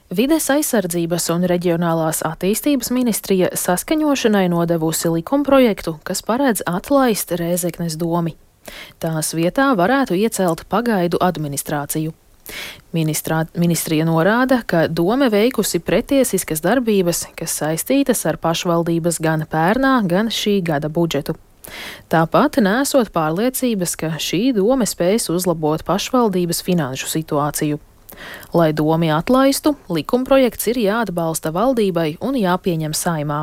Vides aizsardzības un reģionālās attīstības ministrija saskaņošanai nodevusi likumprojektu, kas paredz atlaist Rēzeknes domi. Tās vietā varētu iecelt pagaidu administrāciju. Ministrija norāda, ka dome veikusi pretiesiskas darbības, kas saistītas ar pašvaldības gan pērnā, gan šī gada budžetu. Tāpat nesot pārliecības, ka šī dome spēs uzlabot pašvaldības finanšu situāciju. Lai domi atlaistu, likumprojekts ir jāatbalsta valdībai un jāpieņem Saeimā.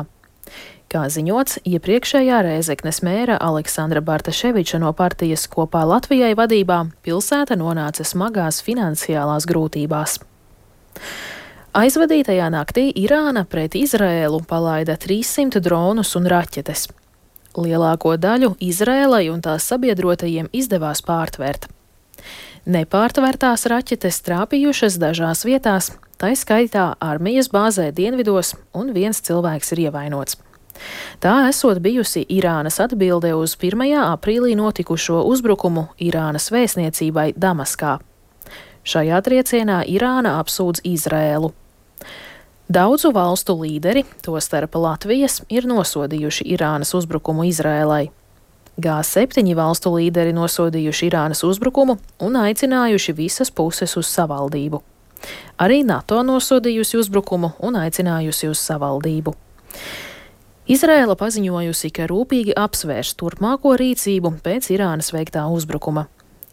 Kā ziņots, iepriekšējā Rēzeknes mēra Aleksandra Bartaševiča no partijas Kopā Latvijai vadībā pilsēta nonāca smagās finansiālās grūtībās. Aizvadītajā naktī Irāna pret Izraēlu palaida 300 dronus un raķetes. Lielāko daļu Izraēlai un tās sabiedrotajiem izdevās pārtvērt. Nepārtvērtās raķetes trāpījušas dažās vietās, tai skaitā armijas bāzē dienvidos, un viens cilvēks ir ievainots. Tā esot bijusi Irānas atbilde uz 1. aprīlī notikušo uzbrukumu Irānas vēstniecībai Damaskā. Šajā triecienā Irāna apsūdz Izraēlu. Daudzu valstu līderi, tostarp Latvijas, ir nosodījuši Irānas uzbrukumu Izraēlai. G7 valstu līderi nosodījuši Irānas uzbrukumu un aicinājuši visas puses uz savaldību. Arī NATO nosodījusi uzbrukumu un aicinājusi uz savaldību. Izraēla paziņojusi, ka rūpīgi apsvērs turpmāko rīcību pēc Irānas veiktā uzbrukuma.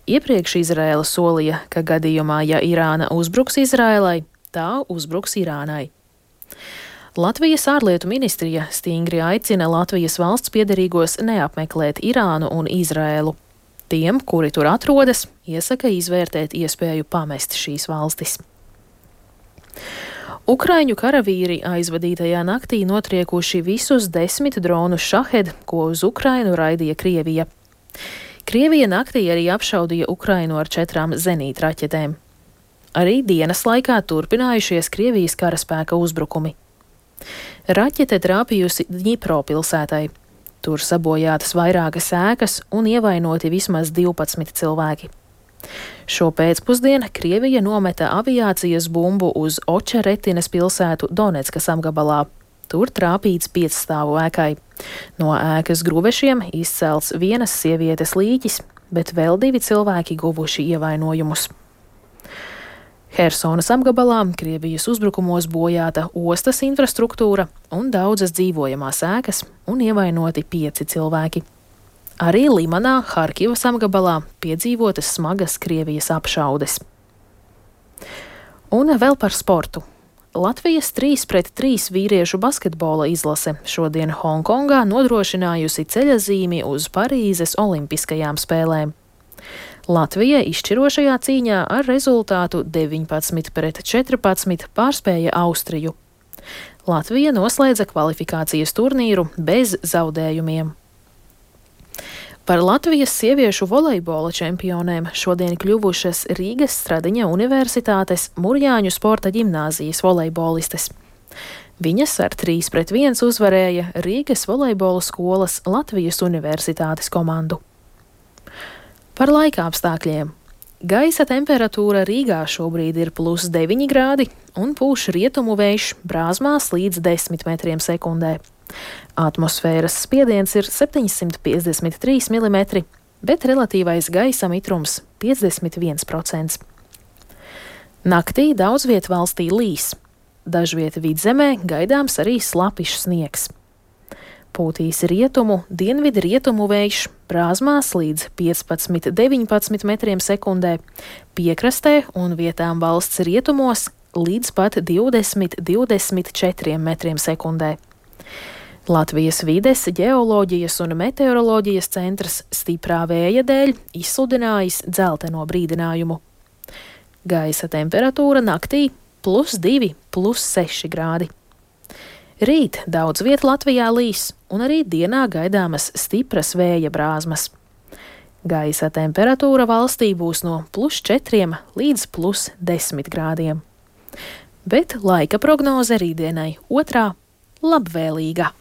Iepriekš Izraēla solīja, ka gadījumā, ja Irāna uzbruks Izraēlai, tā uzbruks Irānai. Latvijas ārlietu ministrija stingri aicina Latvijas valsts piederīgos neapmeklēt Irānu un Izraēlu. Tiem, kuri tur atrodas, iesaka izvērtēt iespēju pamest šīs valstis. Ukraiņu karavīri aizvadītajā naktī notriekuši visus 10 dronus Šahed, ko uz Ukrainu raidīja Krievija. Krievija naktī arī apšaudīja Ukrainu ar 4 zenītraķetēm. Arī dienas laikā turpinājušies Krievijas karaspēka uzbrukumi. Raķete trāpījusi Dņipro pilsētai. Tur sabojātas vairākas ēkas un ievainoti vismaz 12 cilvēki. Šo pēcpusdienu Krievija nometa aviācijas bumbu uz Očeretinas pilsētu Doneckas apgabalā. Tur trāpīts 5-stāvu ēkai. No ēkas gruvešiem izcelts vienas sievietes līķis, bet vēl 2 cilvēki guvuši ievainojumus. Hersonas apgabalā Krievijas uzbrukumos bojāta ostas infrastruktūra un daudzas dzīvojamās ēkas un ievainoti 5 cilvēki. Arī Limanā, Harkivas apgabalā piedzīvotas smagas Krievijas apšaudes. Un vēl par sportu. Latvijas 3-3 vīriešu basketbola izlase šodien Hongkongā nodrošinājusi ceļazīmi uz Parīzes olimpiskajām spēlēm. Latvija izšķirošajā cīņā ar rezultātu 19-14 pārspēja Austriju. Latvija noslēdza kvalifikācijas turnīru bez zaudējumiem. Par Latvijas sieviešu volejbola čempionēm šodien kļuvušas Rīgas Stradiņa Universitātes Murjāņu sporta ģimnāzijas volejbolistes. Viņas ar 3-1 uzvarēja Rīgas volejbola skolas Latvijas Universitātes komandu. Par laika apstākļiem. Gaisa temperatūra Rīgā šobrīd ir +9 grādi un pūš rietumu vējš brāzmās līdz 10 metriem sekundē. Atmosfēras spiediens ir 753 mm, bet relatīvais gaisa mitrums 51%. Naktī daudz viet valstī līs. Dažviet vidzemē gaidāms arī slapišs sniegs. Pūtīs rietumu, dienvidu rietumu vējš brāzmās līdz 15-19 metriem sekundē, piekrastē un vietām valsts rietumos līdz pat 20-24 metriem sekundē. Latvijas vides, ģeoloģijas un meteoroloģijas centrs stiprā vēja dēļ izsludinājis dzelteno brīdinājumu. Gaisa temperatūra naktī +2, +6 grādi. Rīt daudz viet Latvijā līs, un arī dienā gaidāmas stipras vēja brāzmas. Gaisa temperatūra valstī būs no +4 līdz +10 grādiem. Bet laika prognoze rītdienai otrā labvēlīga.